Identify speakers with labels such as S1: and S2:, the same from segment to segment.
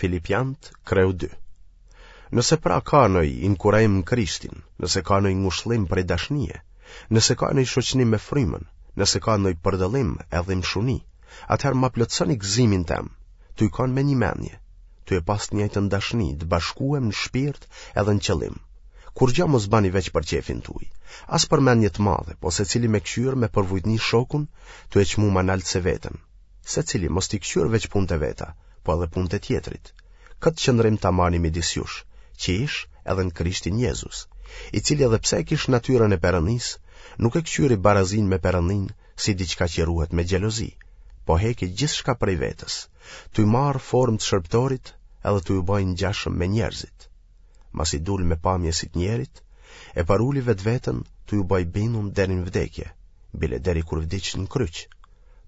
S1: Filipianët, kreu 2. Nëse pra ka noj inkurajim në Krishtin, nëse ka noj ngushllim prej dashnie, nëse ka noj shoqënim me frymën, nëse ka noj përdëllim e dhimshuni, atëherë ma plotësoni gëzimin tem, tuj kanë me një menje, tuj e pas të njëjtën dashni, të bashkuem në shpirt edhe në qëllim. Kurgja mos bani veç për qefin tuj, as për menje të madhe, po secili me kqyrë me përvujtni shokun, tuj e çmu ma nalt se veten. Secili mos t'i kqyrë veç punët e veta, po edhe punët e tjetrit. Këtë qëndrim ta mani midis jush, që ish edhe në Krishtin Jezus, i cili edhe pse e kish natyrën e Perëndisë, nuk e kqyri barazinë me Perëndinë si diçka që ruhet me xhelozi, po heki gjithçka prej vetes, tuj marrë formë të shërbëtorit edhe tuj u ba i ngjashëm me njerëzit. Masi dul me pamje si të njerit, e përuli vetveten tuj u ba i bindun deri në vdekje, bile deri kur vdiq në kryq.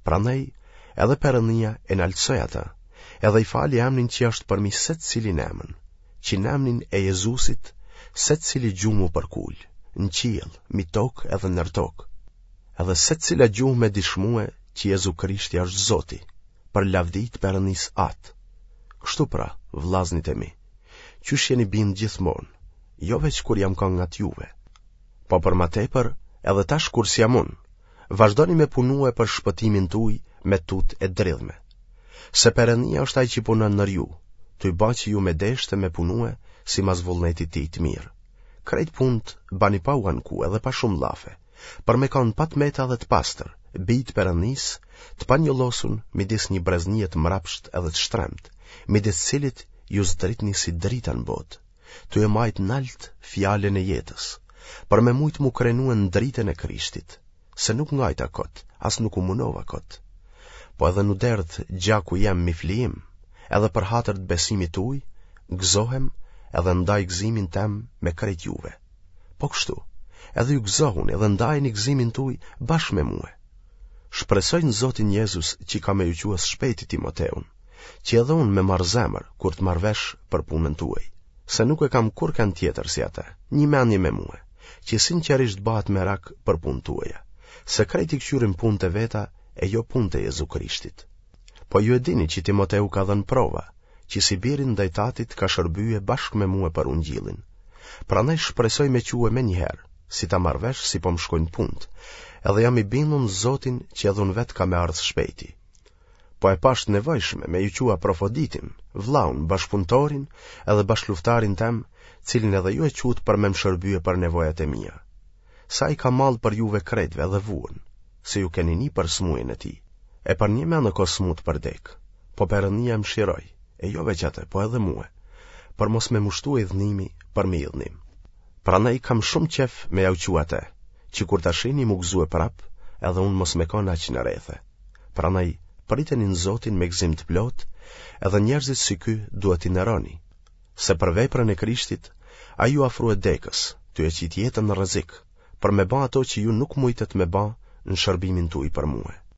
S1: Prandaj edhe Perëndia e naltësoi atë, edhe i fali emnin që është përmi secilin emën, që në emnin e Jezusit secili gju m'u përkul, në qiell, mi tokë edhe nër tokë. Edhe secila gjuhë me dishmue që Jezu Krishti është Zoti, për lavdi të Perëndisë Atë. Kështu pra, vllaznit e mi, qysh jeni bind gjithmonë, jo veç kur jam kanë ngat juve, po për ma tepër edhe tash kur s'jam unë, vazhdoni me punue për shpëtimin tuj me tutë e dridhme. Se Perëndia është ai që punon nër ju, tuj ba që ju me deshtë e me punue simas vullnetit tij të mirë. Krejt punët bani pa u anku edhe pa shumë llafe, për me kanë pa të meta dhe të pastër, bij të Perëndisë, të panjollosun midis një breznie të mrapshtë edhe të shtremtë, midis cilit ju zdritni si drita në botë. tuj e majtë nalt fjalën e jetës, për me mujtë m'u krenue në dritën e Krishtit, se nuk ngajta kot, as nuk u munova kot. Po edhe n'u derdh gjaku jem mi flijim, edhe për hatër të besimit tuj, gëzohem edhe ndaj gëzimin tem me krejt juve. Po kështu, edhe ju gëzohuni edhe ndajeni gëzimin tuj bashkë me mue. Shpresoj në Zotin Jezus që ka me ju çue së shpejti Timoteun, që edhe unë me marrë zemër kur të marr vesh për punën tuaj, se nuk e kam kurrkënd tjetër si atë, një mendje me mue, që sinqerisht bahet merak për punët tuaja, se krejt i këqyrim punët e veta e jo punët e Jezu Krishtit. Po ju e dini që Timoteu ka dhënë prova, që si biri ndaj tatit ka shërbye bashkë me mue për ungjillin. Prandaj shpresoj me çue menjëherë, si ta marr vesh si po më shkojnë punët, edhe jam i bindun në Zotin që edhe unë vetë kam me ardhë shpejti. Po e pashë të nevojshme me ju çu Aprofoditin, vllaun, bashkëpunëtorin edhe bashkëluftarin tem, cilin edhe ju e çutë për me më shërbye për nevojat e mia. Se ai ka mall për juve krejtve edhe vuan, se ju keni ni për smujen e tij. E përnjëmend u ko smut për dekë, po Perëndia e mëshiroi, e jo veç atë, po edhe mue, për mos me m'u shtue idhnimi përmi idhnim. Prandaj kam shumë qejf me jau çu atë, që kur ta shihni m'u gëzue prapë, edhe unë mos me kanë aq në rethe. Prandaj, priteni në Zotin me gëzim të plotë, edhe njerëzit si ky duhet t'i nderoni, se për veprën e Krishtit, ai iu afrue dekës, tuj e qitë jetën në rrezik, për me ba ato që ju nuk mujtët me ba në shërbimin tuj për mue.